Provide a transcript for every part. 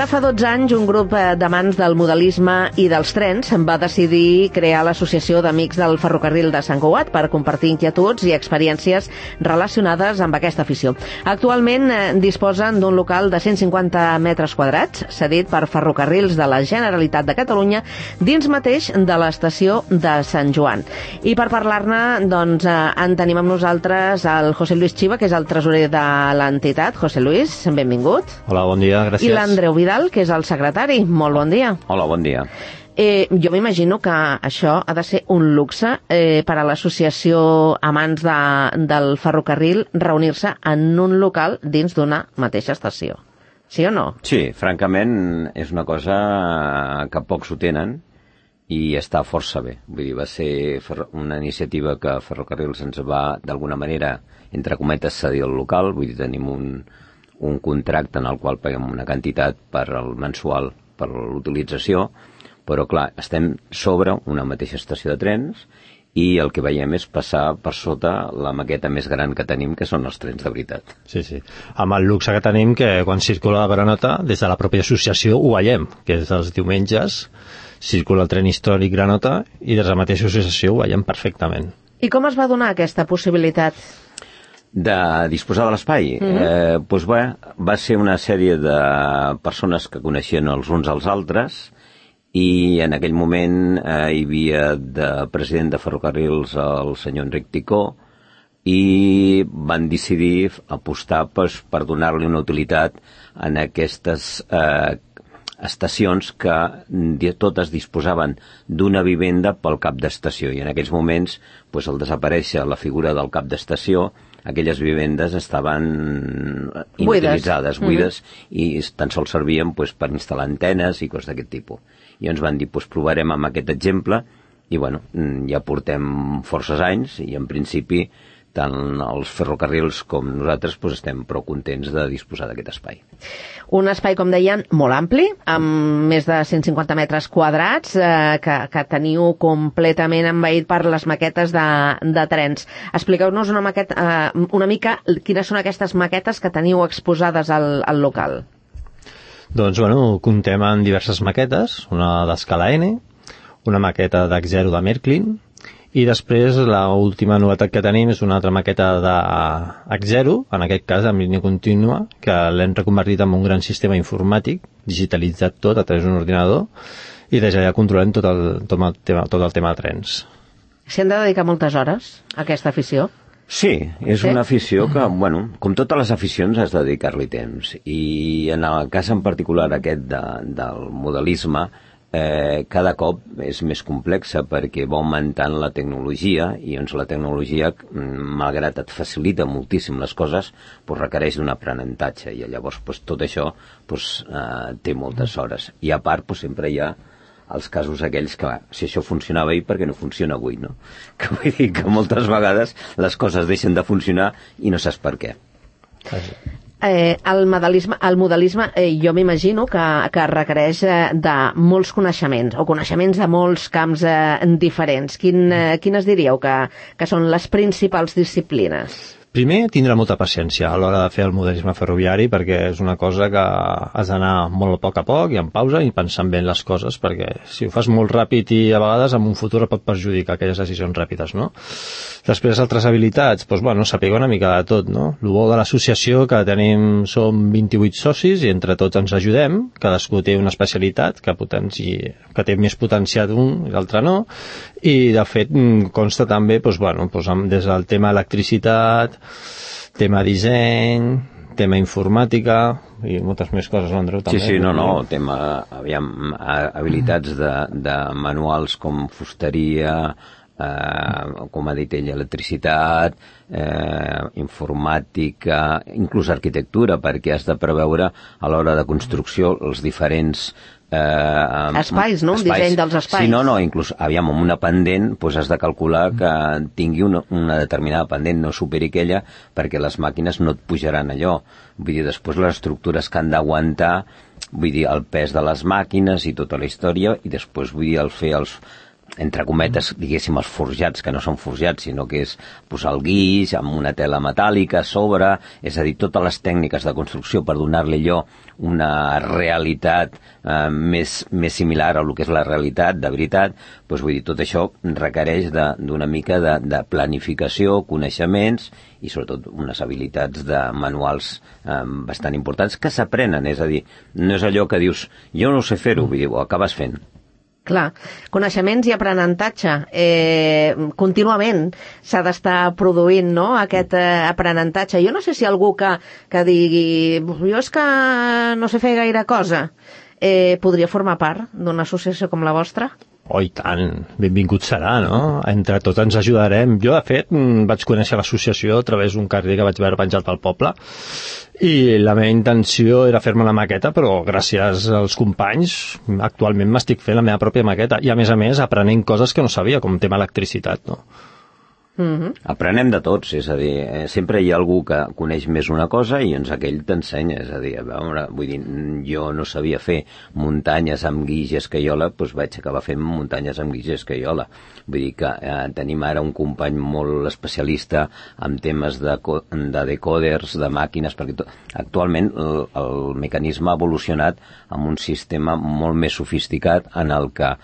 Ara fa 12 anys un grup d'amants del modelisme i dels trens va decidir crear l'Associació d'Amics del Ferrocarril de Sant Cugat per compartir inquietuds i experiències relacionades amb aquesta afició. Actualment disposen d'un local de 150 metres quadrats, cedit per Ferrocarrils de la Generalitat de Catalunya, dins mateix de l'estació de Sant Joan. I per parlar-ne, doncs, en tenim amb nosaltres el José Luis Chiva, que és el tresorer de l'entitat. José Luis, benvingut. Hola, bon dia, gràcies. I l'Andreu Vidal, que és el secretari. Molt bon dia. Hola, bon dia. Jo m'imagino que això ha de ser un luxe per a l'associació Amants del Ferrocarril reunir-se en un local dins d'una mateixa estació. Sí o no? Sí, francament és una cosa que pocs ho tenen i està força bé. Vull dir, va ser una iniciativa que Ferrocarrils ens va, d'alguna manera, entre cometes, cedir el local. Vull dir, tenim un contracte en el qual paguem una quantitat per al mensual per l'utilització, però clar, estem sobre una mateixa estació de trens i el que veiem és passar per sota la maqueta més gran que tenim, que són els trens de veritat. Sí, sí. Amb el luxe que tenim, que quan circula la Granota, des de la pròpia associació ho veiem, que és els diumenges circula el tren històric Granota i des de la mateixa associació ho veiem perfectament. I com es va donar aquesta possibilitat? De disposar de l'espai? Doncs va ser una sèrie de persones que coneixien els uns als altres i en aquell moment hi havia de president de Ferrocarrils el senyor Enric Ticó i van decidir apostar per donar-li una utilitat en aquestes estacions que totes disposaven d'una vivenda pel cap d'estació i en aquells moments, al desaparèixer la figura del cap d'estació, aquelles vivendes estaven inutilitzades, buides, i tan sols servien per instal·lar antenes i coses d'aquest tipus. I ens van dir, provarem amb aquest exemple, i ja portem forces anys, i en principi tant els ferrocarrils com nosaltres estem prou contents de disposar d'aquest espai. Un espai, com deien, molt ampli, amb més de 150 metres quadrats, que teniu completament envaït per les maquetes de trens. Expliqueu-nos una mica quines són aquestes maquetes que teniu exposades al local. Doncs, comptem amb diverses maquetes, una d'escala N, una maqueta d'X0 de Märklin, i després l'última novetat que tenim és una altra maqueta d'X0, en aquest cas amb línia contínua, que l'hem reconvertit en un gran sistema informàtic, digitalitzat tot a través d'un ordinador, i des d'allà controlem tot el tema de trens. S'hi han de dedicar moltes hores a aquesta afició? Sí, és una afició que, com totes les aficions, has de dedicar-li temps. I en el cas en particular aquest del modelisme, cada cop és més complexa perquè va augmentant la tecnologia i la tecnologia, malgrat et facilita moltíssim les coses, requereix d'un aprenentatge i llavors tot això té moltes hores. I a part sempre hi ha els casos aquells que, si això funcionava ahir, per què no funciona avui, no? Que vull dir que moltes vegades les coses deixen de funcionar i no saps per què. El modelisme jo m'imagino que requereix de molts coneixements o coneixements de molts camps diferents. Quines diríeu que són les principals disciplines? Primer, tindre molta paciència a l'hora de fer el modelisme ferroviari perquè és una cosa que has d'anar molt a poc i en pausa i pensant bé en les coses perquè si ho fas molt ràpid i a vegades en un futur pot perjudicar aquelles decisions ràpides, no? Després, altres habilitats, saber una mica de tot, no? El bo de l'associació que tenim som 28 socis i entre tots ens ajudem, cadascú té una especialitat que té més potenciat un i l'altre no, i de fet consta també des del tema electricitat, tema disseny, tema informàtica i moltes més coses, Andreu, també. Sí, tema, habilitats de manuals com fusteria, com ha dit ell, electricitat, informàtica, inclús arquitectura, perquè has de preveure a l'hora de construcció els diferents espais, no? Un disseny dels espais. Sí, inclús, amb una pendent has de calcular que tingui una determinada pendent, no superi aquella, perquè les màquines no et pujaran allò. Vull dir, després les estructures que han d'aguantar, el pes de les màquines i tota la història, i després, el fer entre cometes, diguéssim, els forjats, que no són forjats, sinó que és posar el guix amb una tela metàl·lica a sobre, és a dir, totes les tècniques de construcció per donar-li allò una realitat més similar a el que és la realitat, de veritat, doncs vull dir, tot això requereix d'una mica de planificació, coneixements i sobretot unes habilitats de manuals bastant importants que s'aprenen, és a dir, no és allò que dius, jo no sé fer-ho, vull dir, ho acabes fent. Clar, coneixements i aprenentatge. Contínuament s'ha d'estar produint, no?, aquest aprenentatge. Jo no sé si algú que digui jo és que no sé fer gaire cosa, podria formar part d'una associació com la vostra? Oh, i tant, benvingut serà, no? Entre tots ens ajudarem. Jo, de fet, vaig conèixer l'associació a través d'un carrer que vaig veure penjat pel poble i la meva intenció era fer-me la maqueta, però gràcies als companys actualment m'estic fent la meva pròpia maqueta i, a més, aprenent coses que no sabia, com tema electricitat, no? Aprenem de tots, és a dir, sempre hi ha algú que coneix més una cosa i doncs aquell t'ensenya, és a dir, a veure, vull dir, jo no sabia fer muntanyes amb guix i escaiola, doncs vaig acabar fent muntanyes amb guix i escaiola. Vull dir que tenim ara un company molt especialista en temes de decoders, de màquines, perquè actualment el mecanisme ha evolucionat amb un sistema molt més sofisticat en el que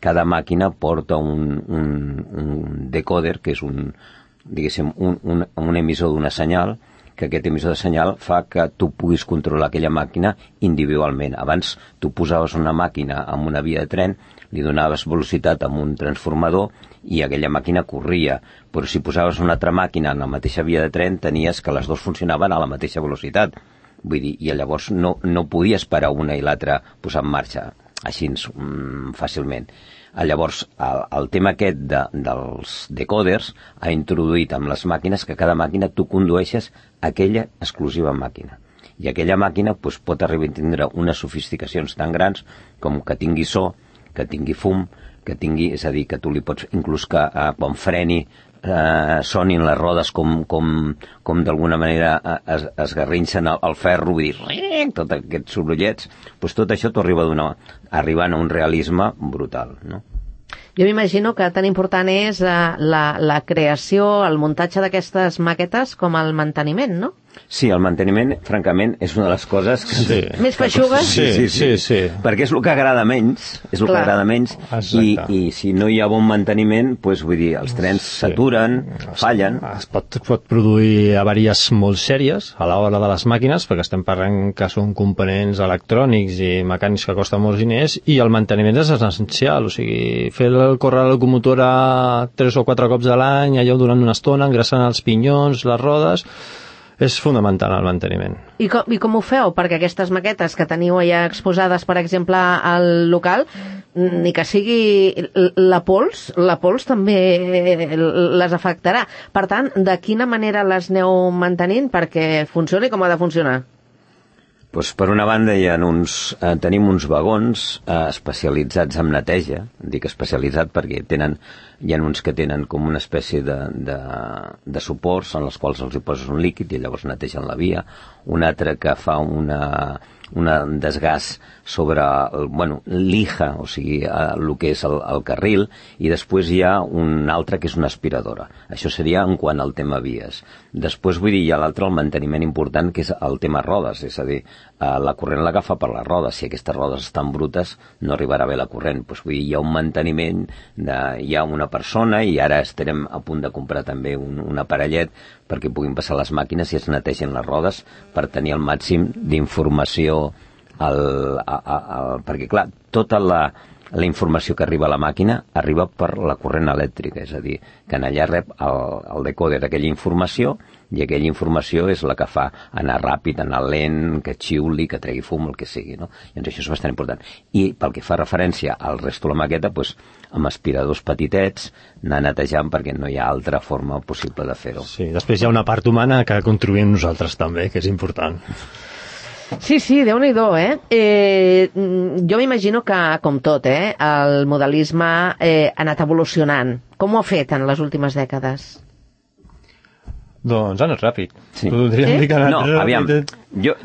cada màquina porta un decoder, que és diguéssim, un emissor d'una senyal, que aquest emissor de senyal fa que tu puguis controlar aquella màquina individualment. Abans tu posaves una màquina amb una via de tren, li donaves velocitat amb un transformador i aquella màquina corria, però si posaves una altra màquina en la mateixa via de tren tenies que les dues funcionaven a la mateixa velocitat. Vull dir, i llavors no podies parar una i l'altra posar en marxa així fàcilment. Llavors, el tema aquest dels decoders ha introduït amb les màquines que cada màquina tu condueixes aquella exclusiva màquina. I aquella màquina doncs, pot arribar a tindre unes sofisticacions tan grans com que tingui so, que tingui fum, que tingui, és a dir, que tu li pots, inclús que quan freni sonin les rodes com d'alguna manera es garrinxen el ferro, vull dir, tots aquests sorollets, doncs tot això t'ho arribant a un realisme brutal, no? Jo m'imagino que tan important és la creació, el muntatge d'aquestes maquetes com el manteniment, no? Sí, el manteniment, francament, és una de les coses que... Sí. Més feixugues? Sí. Perquè és el que agrada menys, i si no hi ha bon manteniment, doncs, vull dir, els trens s'aturen, fallen... Es pot produir avaries molt sèries a l'hora de les màquines, perquè estem parlant que són components electrònics i mecànics que costen molts diners, i el manteniment és essencial, o sigui, fer córrer la locomotora 3 o 4 cops a l'any, allò durant una estona, engraçant els pinyons, les rodes... És fonamental el manteniment. I com ho feu? Perquè aquestes maquetes que teniu allà exposades, per exemple, al local, ni que sigui la pols també les afectarà. Per tant, de quina manera les aneu mantenint perquè funcioni com ha de funcionar? Doncs per una banda tenim uns vagons especialitzats en neteja, dic especialitzat perquè hi ha uns que tenen com una espècie de suports en els quals els hi poses un líquid i llavors netegen la via, un altre que fa un desgàs sobre l'ija, o sigui, el que és el carril, i després hi ha un altre que és una aspiradora. Això seria en quant al tema vies. Després, vull dir, hi ha l'altre, el manteniment important, que és el tema rodes, és a dir, la corrent l'agafa per les rodes. Si aquestes rodes estan brutes, no arribarà bé la corrent. Doncs, vull dir, hi ha un manteniment, hi ha una persona, i ara estarem a punt de comprar també un aparellet perquè puguin passar les màquines i es netegen les rodes per tenir el màxim d'informació perquè, clar, tota la informació que arriba a la màquina arriba per la corrent elèctrica, és a dir, que en allà rep el decòder aquella informació i aquella informació és la que fa anar ràpid, anar lent, que xiuli, que tregui fum, el que sigui, no? Llavors això és bastant important. I pel que fa referència al resto de la maqueta, doncs, amb aspiradors petitets, anar netejant perquè no hi ha altra forma possible de fer-ho. Sí, després hi ha una part humana que contribuïm nosaltres també, que és important. Sí, Déu-n'hi-do, jo m'imagino que, com tot, el modelisme ha anat evolucionant. Com ho ha fet en les últimes dècades? Doncs ha anat ràpid. Sí. Podríem dir que ha anat ràpid. Aviam,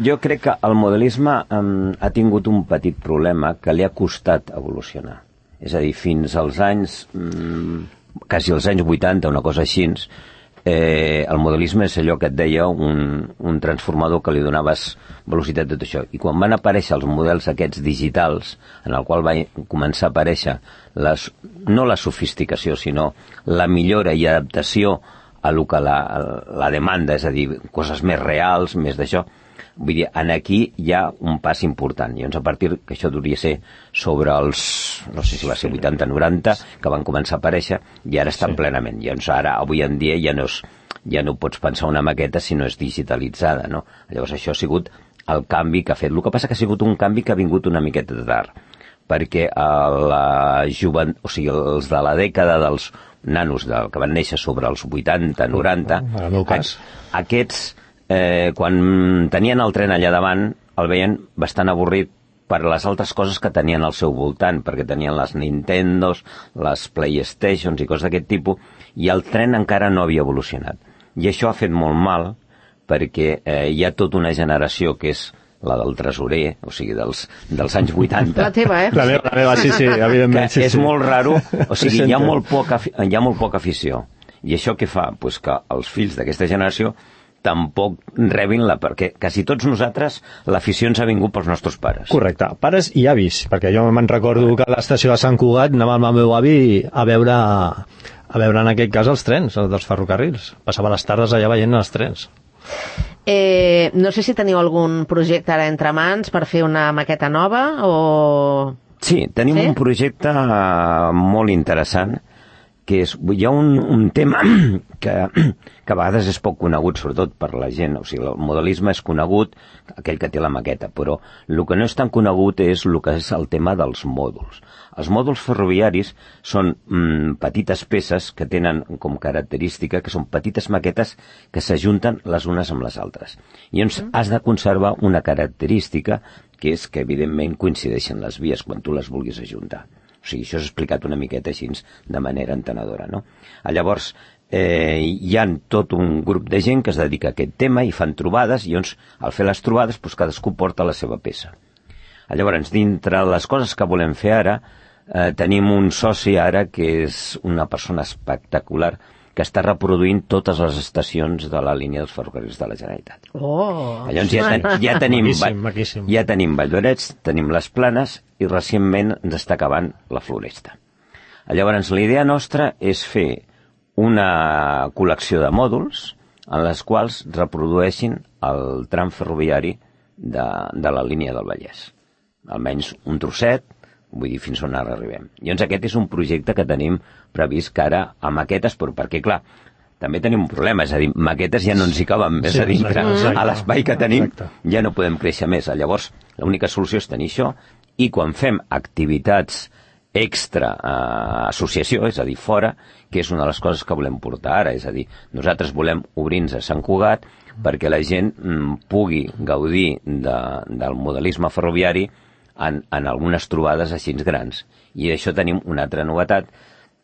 jo crec que el modelisme ha tingut un petit problema que li ha costat evolucionar. És a dir, fins als anys, quasi als anys 80, una cosa així, el modelisme és allò que et deia un transformador que li donaves velocitat de tot això. I quan van aparèixer els models aquests digitals, en el qual va començar a aparèixer no la sofisticació, sinó la millora i adaptació a lo que la demanda, és a dir, coses més reals, més d'això, vull dir, aquí hi ha un pas important. Llavors, a partir que això devia ser sobre els, no sé si va ser 80-90, que van començar a aparèixer, i ara estan plenament. Llavors, ara, avui en dia, ja no pots pensar una maqueta si no és digitalitzada, no? Llavors, això ha sigut el canvi que ha fet. El que passa que ha sigut un canvi que ha vingut una miqueta de tard, perquè els de la dècada dels nanos que van néixer sobre els 80-90, en el meu cas, aquests, quan tenien el tren allà davant, el veien bastant avorrit per les altres coses que tenien al seu voltant, perquè tenien les Nintendos, les Playstations i coses d'aquest tipus, i el tren encara no havia evolucionat. I això ha fet molt mal, perquè hi ha tota una generació que és la del tresorer, o sigui, dels anys 80. La teva, La meva, sí, evidentment. Que és molt raro, o sigui, hi ha molt poca afició. I això què fa? Pues que els fills d'aquesta generació tampoc rebin-la, perquè quasi tots nosaltres l'afició ens ha vingut pels nostres pares. Correcte, pares i avis, perquè jo me'n recordo que a l'estació de Sant Cugat anava amb el meu avi a veure en aquest cas els trens, els dels ferrocarrils. Passava les tardes allà veient els trens. No sé si teniu algun projecte ara entre mans per fer una maqueta nova o... Sí, tenim un projecte molt interessant, que hi ha un tema que a vegades és poc conegut, sobretot per la gent. O sigui, el modelisme és conegut, aquell que té la maqueta, però el que no és tan conegut és el que és el tema dels mòduls. Els mòduls ferroviaris són petites peces que tenen com característica que són petites maquetes que s'ajunten les unes amb les altres. I llavors has de conservar una característica que és que evidentment coincideixen les vies quan tu les vulguis ajuntar. O sigui, això és explicat una miqueta així de manera entenedora, no? Llavors, hi ha tot un grup de gent que es dedica a aquest tema i fan trobades, i llavors, al fer les trobades, doncs cadascú porta la seva peça. Llavors, dintre les coses que volem fer ara, tenim un soci ara que és una persona espectacular, que està reproduint totes les estacions de la línia dels ferrocarrils de la Generalitat. Llavors ja tenim Valldorets, tenim les Planes i recentment ens està acabant la Floresta. Llavors la idea nostra és fer una col·lecció de mòduls en les quals reprodueixin el tram ferroviari de la línia del Vallès. Almenys un trosset, vull dir, fins on ara arribem. Llavors aquest és un projecte que tenim previst que ara a maquetes, però perquè, clar, també tenim un problema, és a dir, maquetes ja no ens hi caben més a dintre. A l'espai que tenim ja no podem créixer més. Llavors, l'única solució és tenir això, i quan fem activitats extra associació, és a dir, fora, que és una de les coses que volem portar ara, és a dir, nosaltres volem obrir-nos a Sant Cugat perquè la gent pugui gaudir del modelisme ferroviari en algunes trobades així grans. I d'això tenim una altra novetat,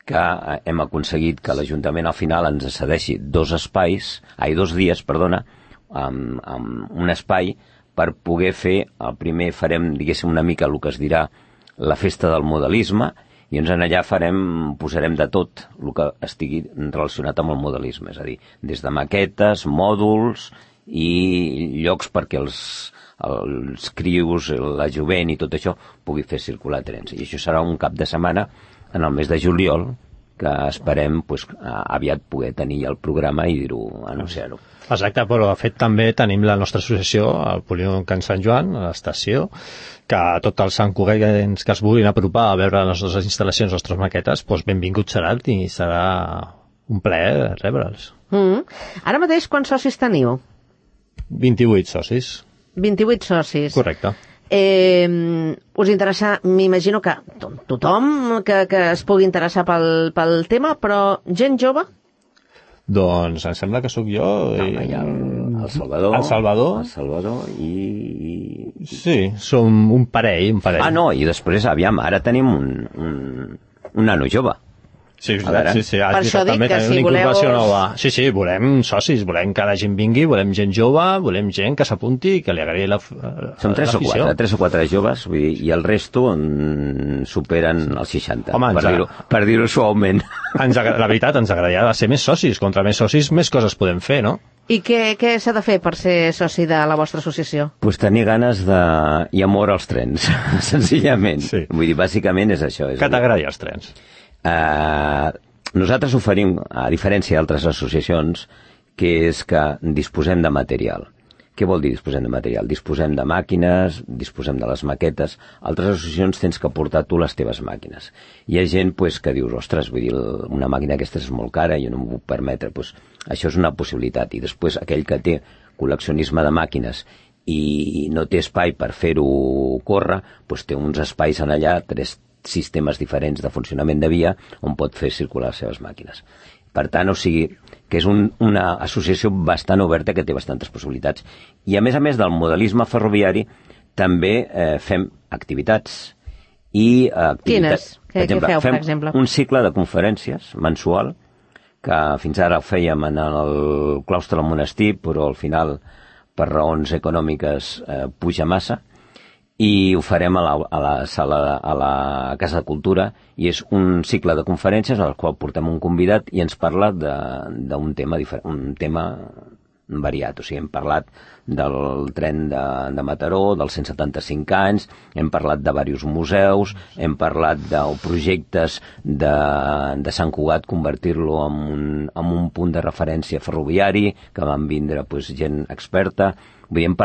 que hem aconseguit que l'Ajuntament al final ens cedeixi 2 dies, amb un espai per poder fer, el primer farem, diguéssim, una mica el que es dirà la festa del modelisme, i ens allà posarem de tot el que estigui relacionat amb el modelisme, és a dir, des de maquetes, mòduls i llocs perquè els crius, la jovent i tot això pugui fer circular trens. I això serà un cap de setmana en el mes de juliol, que esperem aviat poder tenir el programa i anunciar-ho. Exacte, però de fet també tenim la nostra associació, el Polígon Can Sant Joan, a l'estació, que tots els santcugatencs que es vulguin apropar a veure les nostres instal·lacions, les nostres maquetes, doncs benvinguts seran i serà un plaer rebre'ls. Ara mateix quants socis teniu? 28 socis. 28 socis. Correcte. Us interessa, m'imagino que tothom que es pugui interessar pel tema, però gent jove? Doncs em sembla que sóc jo i el Salvador. El Salvador i... Sí, som un parell. No, i després, aviam, ara tenim un nano jove. Sí, A veure. sí, Per això dic també que tenim si una incorporació voleu- nova. Sí, volem socis, volem que la gent vingui, volem gent jove, volem gent que s'apunti i que li agradi Són 3 o 4 joves, vull dir, i el resto superen els 60, Home, per dir-ho suaument. La veritat, ens agradaria ser més socis. Contra més socis, més coses podem fer, no? I què s'ha de fer per ser soci de la vostra associació? Pues tenir ganes i amor als trens, senzillament. Sí. Vull dir, bàsicament és això. Que t'agradi els trens. Nosaltres oferim, a diferència d'altres associacions, que és que disposem de material. Què vol dir disposem de material? Disposem de màquines, disposem de les maquetes. Altres associacions tens que portar tu les teves màquines. Hi ha gent pues, que dius, ostres, vull dir, una màquina aquesta és molt cara, jo no m'ho puc permetre. Pues, això és una possibilitat. I després aquell que té col·leccionisme de màquines i no té espai per fer-ho córrer, pues, té uns espais en allà, 3 sistemes diferents de funcionament de via on pot fer circular les seves màquines. Per tant, o sigui, que és una associació bastant oberta que té bastantes possibilitats. I a més del modelisme ferroviari, també fem activitats. Quines? Què feu, per exemple? Fem un cicle de conferències mensual, que fins ara ho fèiem en el claustre del monestir, però al final, per raons econòmiques, puja massa, i ho farem a la Casa de Cultura, i és un cicle de conferències al qual portem un convidat i ens parla d'un tema diferent, un tema variat. O sigui, hem parlat del tren de Mataró, dels 175 anys, hem parlat de diversos museus, hem parlat de projectes de Sant Cugat, convertir-lo en un punt de referència ferroviari, que van vindre pues, gent experta. Vull dir, hem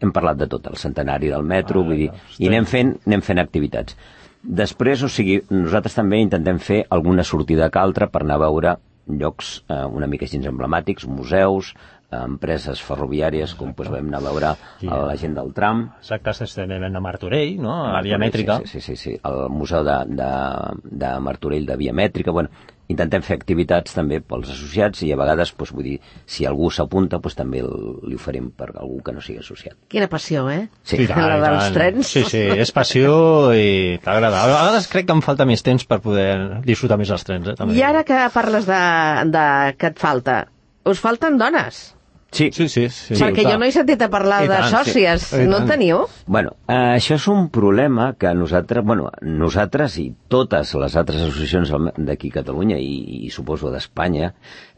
parlat de tot, el centenari del metro, vull dir, i anem fent activitats. Després, o sigui, nosaltres també intentem fer alguna sortida que altra per anar a veure llocs una mica així emblemàtics, museus, empreses ferroviàries, com doncs, vam anar a veure la gent del tram. Exacte, estem a Martorell, no? A la Via Mètrica. Sí, el museu de Martorell de Via Mètrica. Bueno, intentem fer activitats també pels associats i a vegades, doncs, vull dir, si algú s'apunta, doncs, també li oferim per algú que no sigui associat. Quina passió, eh? Sí, la dels trens. Sí, és passió i t'agrada. A vegades crec que em falta més temps per poder disfrutar més els trens, també. I ara que parles de que et falta, us falten dones? Sí. Perquè jo no he sentit a parlar de sòcies. No en teniu? Bueno, això és un problema que nosaltres i totes les altres associacions d'aquí a Catalunya i suposo d'Espanya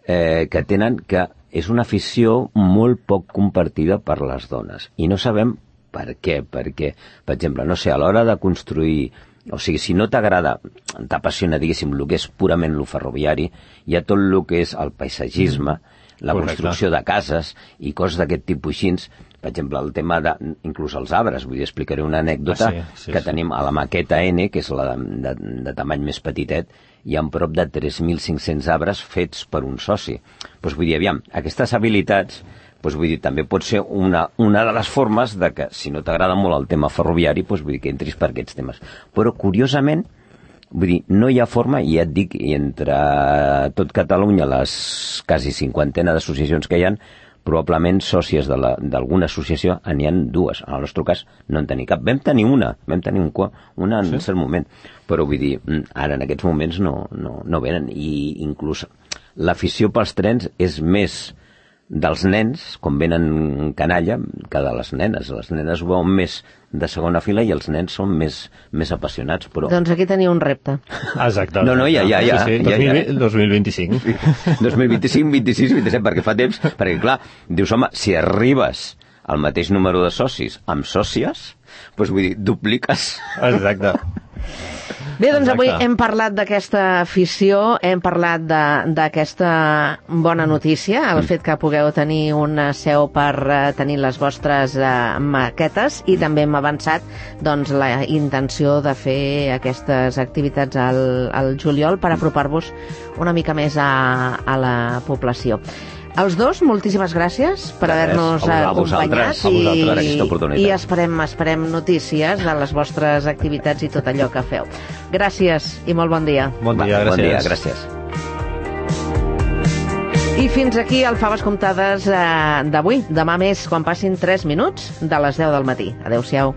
que tenen que és una afició molt poc compartida per les dones. I no sabem per què. Perquè, per exemple, no sé, a l'hora de construir... O sigui, si no t'agrada, t'apassiona, diguéssim, el que és purament lo ferroviari, hi ha tot el que és el paisatgisme, la construcció de cases i coses d'aquest tipus així. Per exemple, el tema inclús els arbres. Vull dir, explicaré una anècdota que tenim a la maqueta N, que és la de tamany més petitet, hi ha prop de 3.500 arbres fets per un soci. Doncs vull dir, aviam, aquestes habilitats, doncs vull dir, també pot ser una de les formes de que, si no t'agrada molt el tema ferroviari, doncs vull dir que entris per aquests temes. Però, curiosament, vull dir, no hi ha forma, i ja et dic, i entre tot Catalunya, les quasi 50 d'associacions que hi ha, probablement sòcies d'alguna associació n'hi ha 2. En el nostre cas no en tenim cap. Vam tenir una en cert moment, però vull dir, ara en aquests moments no venen, i inclús l'afició pels trens és més dels nens, quan venen canalla, que de les nenes. Les nenes ho veuen més de segona fila i els nens són més apassionats, però... Doncs aquí teniu un repte. Exacte. No, ja. 2025. 2025, 26, 27, perquè fa temps, perquè clar, dius, home, si arribes al mateix número de socis amb sòcies, doncs vull dir, dupliques. Exacte. Bé, doncs avui hem parlat d'aquesta afició, hem parlat d'aquesta bona notícia, el fet que pugueu tenir una seu per tenir les vostres maquetes, i també hem avançat doncs, la intenció de fer aquestes activitats al juliol per apropar-vos una mica més a la població. Els dos, moltíssimes gràcies per haver-nos acompanyat i esperem notícies de les vostres activitats i tot allò que feu. Gràcies i molt bon dia. Bon dia, gràcies. I fins aquí el Faves Comptades d'avui. Demà més, quan passin 3 minuts de les 10 del matí. Adéu-siau.